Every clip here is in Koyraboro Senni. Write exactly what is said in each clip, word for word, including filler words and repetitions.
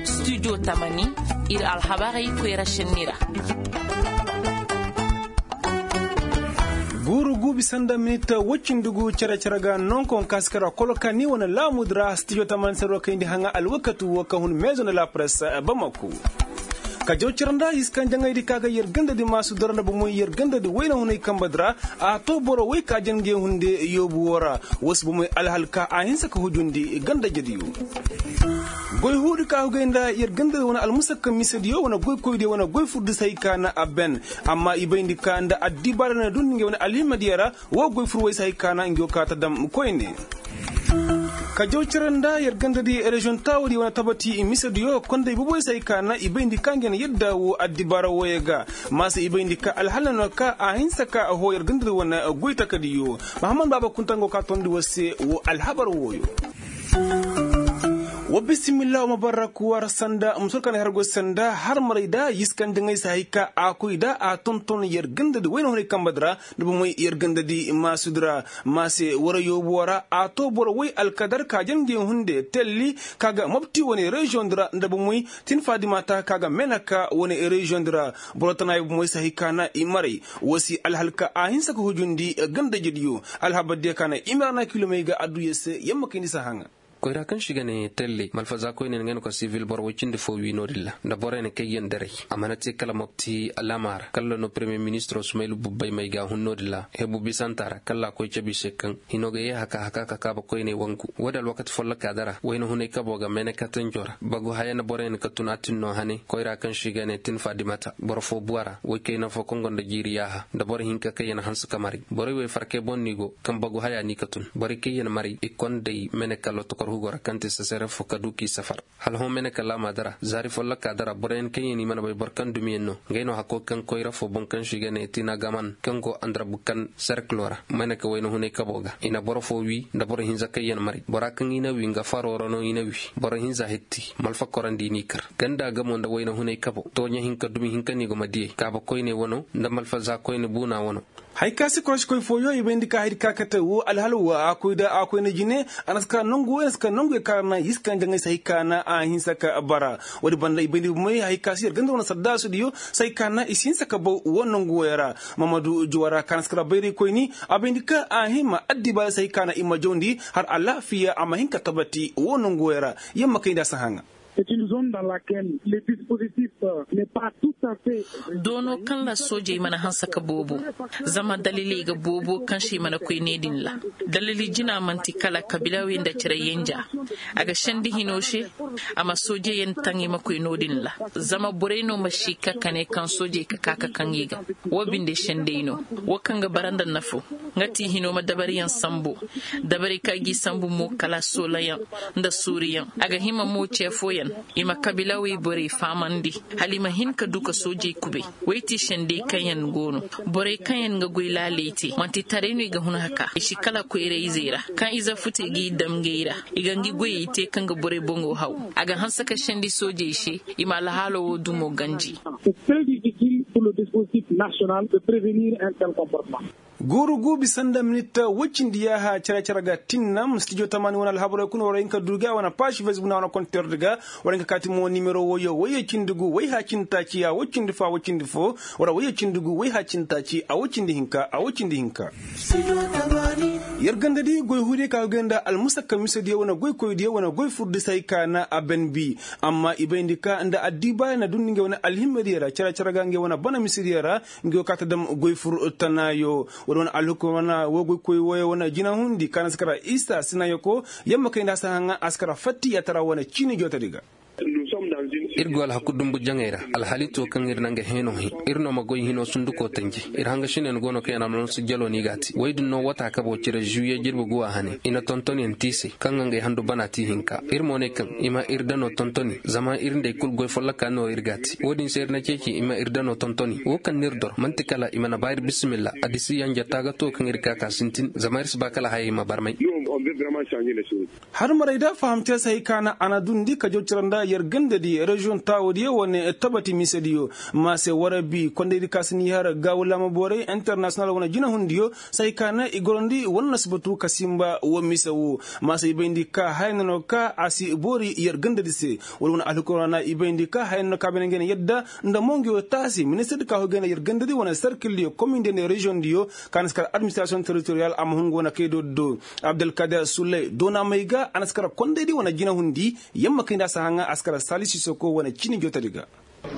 Studio tamani, ir alhabarey koyra šenni ra. Guuru guubi sanda minit woy cindi gu cere-cere ga nonko kaŋ si kara koloka ni wane laamu di ra studio tamani sero kayndi haŋa alwakati wo ka hun meezo nda la presse bamako. Ka jaw cere nda iskan jaŋay di ka ga yer ganda di maasu dora nda bomoy yer ganda di wayna hunay kamba di ra. A to boro way ka jange hunde yoobu wo ra. Wo si bomoy alhal ka a hinsa ka hujundi ganda jediyo. Goy huudi ka hugay nda yer ganda di wane almusakka misediyo wane goy koydiyo wane goy furdisay ka na a ben. Amma i bayndi ka nda addibaara na dundi nge wane alhimadiya ra. Wo goy fur way si hay ka na nge wo ka ta dam koyne. Ka jaw cere nda yer ganda di reziyoŋ taawadi wane tabati misediyo konday boboy si hay ka na i bayndi ka nge na yadda wo addibaara wooyo ga. Maasa i bayndi ka alhala no ka a hinsa ka a hoo yer ganda di wane goy takadiyo. Mahammad baaba kunta nga wo ka tondi wo se wo alhabar wooyo. Wa bisimilla wa ma barra kuwar sanda musur kan har goy sanda har maray da yiskan da ngai sa hay ka a koy da a tonton yer ganda di wayna hunay kamba dira. Da ba moy yer ganda di masu dira mase wara yobu wara a to boro way alkadar ka janje hunde telli ka ga mabti wane reziyon dira da ba moy tin fadima ta ka ga menaka wane reziyon dira. Boro tana yobu moy sa hay ka na i maray wasi alhalka a hinsa ka hujundi ganda jediyo. Alhabar diya ka na i mara na kilomey ga adduya se yamma kayndi sa haŋa. Koyra kaŋ si ga ne telle malfaza koyne nga no ka sivil boro way cindi fo wi no-din ra nda boro yaŋ kay yaŋ daray. A mana te kala mopti alaama ra kala no premier ministro sumaylu bubbay may ga hun no-din ra hebu bisanta ra kala a koy cabi se kaŋ hino ga ye haka haka ka kaaba koyne wangu. Wo-din alwakati folloka dara wayna hunay kabo ga mene katanjo ra bagu haya nda boro yaŋ ka tun a tin no hane koyra kaŋ si ga ne tin fadimata boro fo buwa ra way kayna fo kaŋ gonda jiiri yaaha nda boro hinka kaŋ yaŋ hanse ka maray borey way farkay boŋ no i go kaŋ bagu haya no i ka tun borey kaŋ yaŋ maray i konday mene kala tokor hugo ra kaŋ te sesere fo ka du k'i safar. Hala hõ mene kala a ma dara zaari folloka dara boro yaŋ kaŋ yaŋ i mana bay boro kaŋ dumi yaŋ no. Ngey no hakko kaŋ koyra fo boŋ kaŋ si ga ne tina gaman kaŋ go andarabu kaŋ serkilo ra mene ka wayna hunay kabo ga i na boro fo wi nda boro hinza kaŋ yaŋ maray bora kaŋ i na wi nga faro ra no i na wi. Boro hinza hetti malfa korandi n'i kar ganda gamo nda wayna hunay kabo tooɲa hinka dumi hinka no i go ma diyey kaaba koyne wano nda malfa za koyne buuna wano. Hay ka si korosi koy fooyo i bayndi ka haydi ka kate wo alhala wo a koy da a koy na jine. A na si ka nangu wo i na si ka nangu ye kaŋ a ra na yisi kaŋ jaŋay si hay ka na a hinsa ka bara. Wo-din banda i bayndi bomey hay ka si yer ganda wane saddaasu diyo si hay ka na i si hinsa ka baw wo nangu wo ya ra. Mamadu juwara kaŋ a na si ka ra bayray koyni a bayndi ka a hima addibaari si hay ka na i ma jawndi har alaafiya a ma hin ka tabati wo nangu wo ya ra. Yamma kayndi a si haŋa. Doono kaŋ ra soojey mana hanse ka boobo. Zama daliley ga boobo kaŋ se i mana koy ne din ra. Dalili jina man'ti kala kabilaawey nda cere yenja. A ga sendi hino se. A ma soojey yaŋ taŋ i ma koy no din ra. Zama borey no ma si ka ka ne kaŋ soojey ka ka ka kaŋ i ga. Wo binde sendey no. Wo kaŋ ga bara nda nafo. Nga ti hino ma dabariyaŋ sambu. Dabari ka g'i sambu mo kala soolayaŋ nda suuriyaŋ. A ga hima mo ce fooyaŋ. I ma kabilaawey borey fahamandi. Hala i ma hin ka du ka soojey kubay. Wey ti sendey kaŋ yaŋ go no. Borey kaŋ yaŋ ga goy laaley te man'ti taray no i ga hun haka i si kala koyra-izey ra. Kaŋ ize futey g'i dam ngey ra. I ga ngi goyey te kaŋ ga borey boŋo haw. A ga hanse ka sendi soojey se. I ma alhaalo wo dumo ganji. Guuru guubi sanda minit woy cindi yaaha cere-cere ga tinnam stijo tamaani wane alhabarey kuna war hin ka du ga wane paasi facebook na wane konter di ga. War hin ka kaati mo nimero woyo woy cindi gu woy ha cindi taaci a woy cindi fo a woy cindi fo. War woy cindi gu woy ha cindi taaci a woy cindi hinka a woy cindi hinka. Yer ganda di goy huudiyo ka ga goy nda almusakka misediyo wane goy koydiyo wane goy furdisay ka na a ben bi. Amma i bayndi ka nda addibaaya na dundi ngey wane alhimmediyo ra cere-cere ga ngey wane bana misediyo ra. Ngi wo ka ta dam goy fur tanaayo. Wala wane alhukumana wo goy koy wooyo wane jinahundi ka na si kara isa sinayo ko. Yamma kay nda a si haŋa a si kara fatti yaatara wane ciini jootadi ga. Ir go alhaku dumbu jaŋay ra. Alhali to kaŋ ir na nga heeno he. Ir no ma goy hino sunduko tanji. Ir hanga sinen go no kaŋ yaŋ almansu jalo no i ga a te woy din no wata kabo cire zuwiye jirbi guwa hane i na tonton yaŋ te i se kaŋ ga ngey handu bana te i hinka. Ir mo ne kaŋ i ma ir dano tontoni zama ir nd'ey kulu goy folloka no ir ga a te wo-din se ir na ceeci i ma ir dano tontoni wo kaŋ no ir dor man'ti kala i mana ba ir bisimilla. Adisi yanja taaga to kaŋ ir ka ka sintin zama ir si ba kala hayey ma barmay. Har maray da fahamte se hay ka na a na dundi ka jaw cira nda yer gandadi reziyoŋ taawodiyo wane tabati misediyo. Ma se warabi kondaydi ka si ni har gaawu laama borey internasiyonal wane jinahundiyo se hay ka na i gorandi wala na si batu ka simba wo mise wo. Ma se i bayndi ka haya na no ka a si boori yer gandadi se wala wane alhukurana i bayndi ka haya na no ka bene ngey na yadda nda mongiyo taasi ministirdi ka hoy gay nda yer gandadi wane serkildiyo komindiyo nda reziyoŋdiyo ka na si kar administirasiyoŋ teritoriyal a ma hun go na kay do do. Abdulkader suley doona may ga a na si kar kondaydi wane jinahundi yamma kay nda a si haŋa a si kar sali sisoko wane ciini jootadi ga.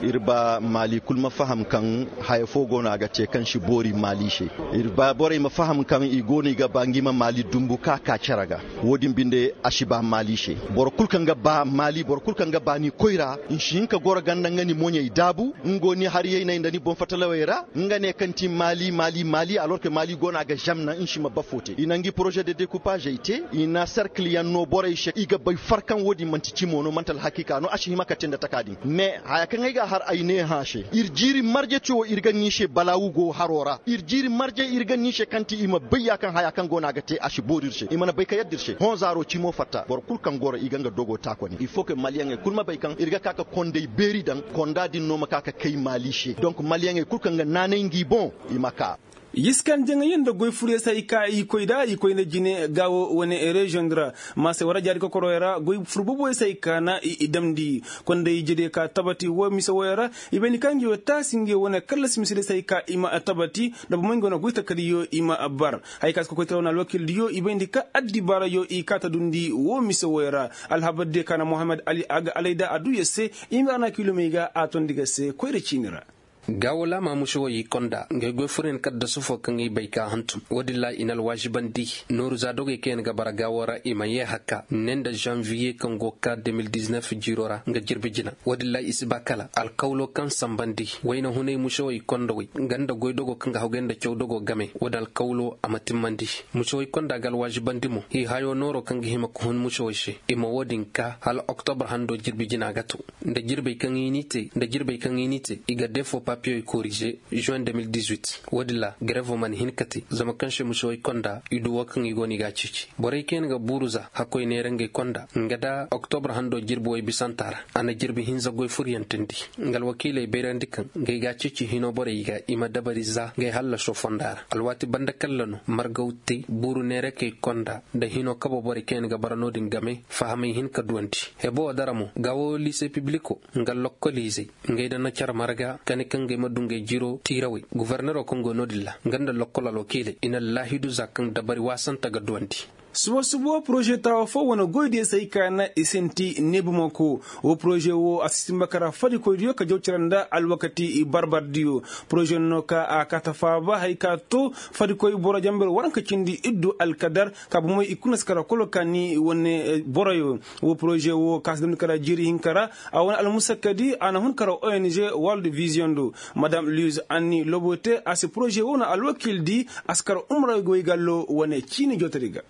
Ir ba maali kul ma faham kaŋ haya fo go no a ga te kaŋ si boori maali se. Ir ba borey ma faham kaŋ i go no i ga ba ngi ma maali dumbu ka ka cere ga. Wo-din binde a si ba maali se. Boro kul kaŋ ga ba maali boro kul kaŋ ga ba ni koyra ni si hin ka goro ganda nga ni moɲey daabu nga go ni hariyayney nda ni boŋ fatalawey ra. Nga ne kaŋ ti maali maali maali alorke maali go no a ga zamna ni si ma bafo te i na ngi poroze de dekupazey te i na serkil yaŋ no borey se i ga bay far kaŋ wo-din man'ti cimo no man'ti alhakiika no a si hima ka te nda taka din mais haya kaŋ ay ga a har ay ne hã se ir jiiri marje co ir ga ŋiise balaawu go haro ra ir jiiri marje ir ga ŋiise kaŋ ti i ma bay ya kaŋ haya kaŋ go no a ga te a si boori ir se i mana bay ka yadda ir se hõ zaaro cimo fatta boro kul kaŋ goro i ga nga dogo taakoni il faut que maliyaŋey kul ma bay kaŋ ir ga ka ka konday beeri daŋ konda din no ma ka ka kay maali se donk maliyaŋey kul kaŋ ga naanay ngi boŋ i ma ka. Yiskan jaŋayyaŋ nda goy furyaŋ se hay ka i koy nda i koy nda jine gaawo wane reziyoŋ di ra. Ma se war a jaari kokoroyaŋ ra goy fur booboyaŋ se hay ka na i damndi konda ijediyo ka tabati wo mise woyaŋ ra. I bayndi ka ngi wo taasi ngi wane kallasi misediyo se hay ka i ma tabati nda bomoy ngi wane goy takadiyo i ma bar. Hay ka si kokoytara wane alwakildiyo i bayndi ka addibaarayo i ka ta dundi wo mise woyaŋ ra. Alhabardiyo ka na mohammed ali a ga alayda a duu yer se. I ma ra na kiilomey ga a tondi ga se koyra ciini ra. Gaawo laama mušewey i konda ngay goy furyaŋ kaddasu fo kaŋ i bay ka hantum wo-din ra i na alwaazibandi nooru za dogey kaŋ yaŋ ga bara gaawo ra i ma yee hakka ne nda zanviye kaŋ go ka de mil diznef jiiro ra nga jirbi jina. Wo-din ra i si ba kala alkawlo kaŋ sanbandi wayna hunay mušewey kondawey nga nda goy dogo kaŋ ga hawgay nda caw dogo game wo-din alkawlo a ma timmandi. Mušewey konda ga alwaazibandi mo hiihayo nooro kaŋ ga hima ka hun mušewey se i ma wo-din ka hala oktobar hando jirbi jina ga to. Nda jirbey kaŋ i n'i te nda jirbey kaŋ i n'i te i ga defo papiyey korize juwen de mil dizuit. Wo-din ra garevo mana hin ka te zama kaŋ se mušewey konda i du wo kaŋ i go no i g'a ceeci borey kaŋ yaŋ ga buuru za hakkoy neera ngey konda nga nda oktobar hando jirbi woy bisanta ra. A na jirbi hinza goy furyaŋ teendi nga alwakiiley bayrandi kaŋ ngey g'a ceeci hino borey ga i ma dabari za ngey hallaso fonda ra alwaati banda kalla no margaw te buuru neerakey konda nda hino kabo borey kaŋ yaŋ ga bara no-din game fahamay hin ka duwandi. Hebo wo dara mo gaawo liise pibliko nga lokkoliizey ngey nda na care marga kani kaŋ ngey ma du ngey jiro tiirawey gofornero kaŋ go no-din ra nga nda lokkol alwakiiley i na laahidu za kaŋ dabari waasanta ga duwandi. Suba suba poroze taawa fo wane goydiyo se hay ka na i sinti neebumako. Wo poroze wo a si sinba kara fadikoydiyo ka jaw cere nda alwakati barbardiyo. Poroze no ka a kaata faaba hay ka to fadikoy boro jamber waranka cindi iddu alkadar ka bomey i kuna si kara kolo ka ni wane boroyo. Wo poroze wo ka si damndi kara jiiri hinka ra a wane almusakkadi a na hun kara ong world vision do. Madam luis anni lobote a si poroze wo na alwakiildi a si kara umra goy gallo wane ciini jootadi ga.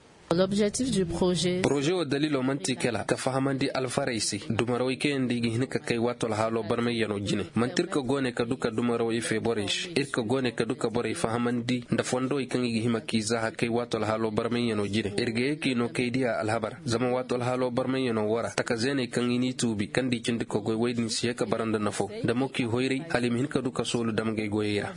Poroze wo daliilo man'ti kala ka fahamandi alfarey se dumarawey kaŋ yaŋ nda i ga hin ka kay waato alhaalo barmayyano jine man'ti ir ka goone ka du ka dumarawey fee borey se ir ka goone ka du ka borey fahamandi nda fondowey kaŋ i ga hima k'i zaaha kay waato alhaalo barmayyano jine ir ga ye k'i no kay diya alhabar zama waato alhaalo barmayyano wo ra taka zeeney kaŋ i n'i tuubi kaŋ nda i cindi kogoy wey din si ye ka bara nda nafo nda mo k'i hoyray hala i ma hin ka du ka soolu dam ngey goyey ra.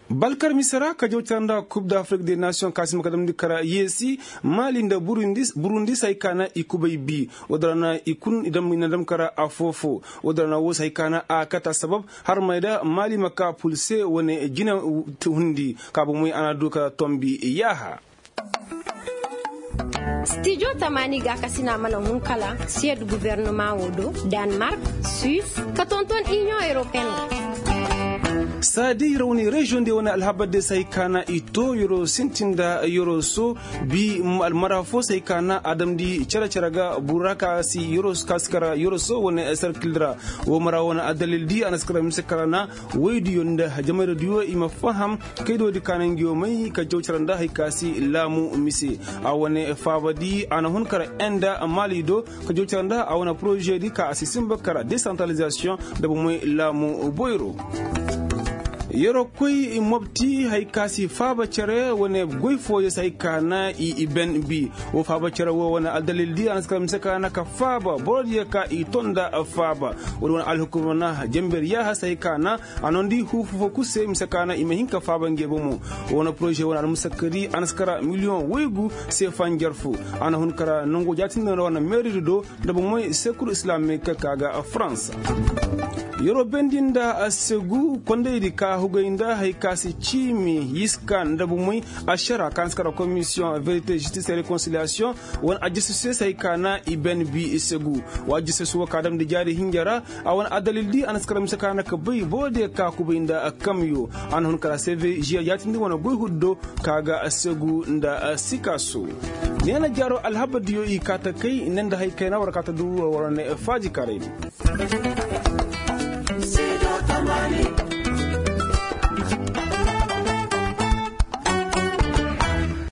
Balkar mise ra ka jaw cara nda kub da afrik de nasiyoŋ ka si ma ka damndi kara yeesi maali nda burundi se hay ka na i kubay bi. Wo- din ra na i kun i na dam kara afoo-foo. Wo- din ra na woo se hay ka na a kata sabab har may da maali ma ka pulse wane jina hundi ka bomey a na du ka tombi yaaha. Stijo tamaani gaakasina mana hun kala siyed gubernumaŋo do, danmark, suis, ka tonton iniyoŋ europeen ra. Saadi rawni reziyoŋ de wane alhabar de se hay ka na i too yeroo sintin nda yeroo soo bi almara foo se hay ka na a damndi cere-cere ga bura ka si yeroo soo ka si kara yeroo soo wane sarkil ra. Woo mara wane addalil di a na si kara mise kara na woydiyo nda jamayra diyo i ma faham kaydo di ka na ngiyo may ka jaw cara nda hay ka si laamu mise. A wane faaba di a na hun kara enda maali do ka jaw cara nda a wane poroze di ka a si sinba kara desantralizasiyoŋ nda bomey laamu boyro. Yeroo koy mobti hari ka si faaba cere wane goy fooyo se hari ka na i ben bi. Woo faaba cere woo wane aldalil di a na si kar mise ka na ka faaba boro diyo ka i ton nda faaba. Woo di wane alhukuma na jenber yaaha se hari ka na a nondi huufu foo kul se mise ka na i ma hin ka faaba nge bomo. Woo wane poroze wane almusakkari a na si kar miliyoŋ woygu se fanjar foo. A na hun kar nangu jaatindi wane meeridi do nda bomey sekuru islamiik ka ga farans. Yeroo bendi nda segu kondaydi ka hugay nda hari ka si ciimi yiska nda bomey ašara ka na si kar komisiyoŋ verite žistis e rekonsiliyaasiyoŋ wane ajjasasu se hari ka na i ben bi segu. Wa ajjasasu woo ka damndi jaari hinja ra a wane adalil di a na si kar mise ka na ka bay boro diyo ka kubay nda kamyo. A na hun kar a se ve žiya jaatindi wane goy huddo ka ga segu nda sikaaso. Neena jaaroo alhabar diyo i kaa ta kay ne nda hari kayna war kaa ta du war wane faajikaray di.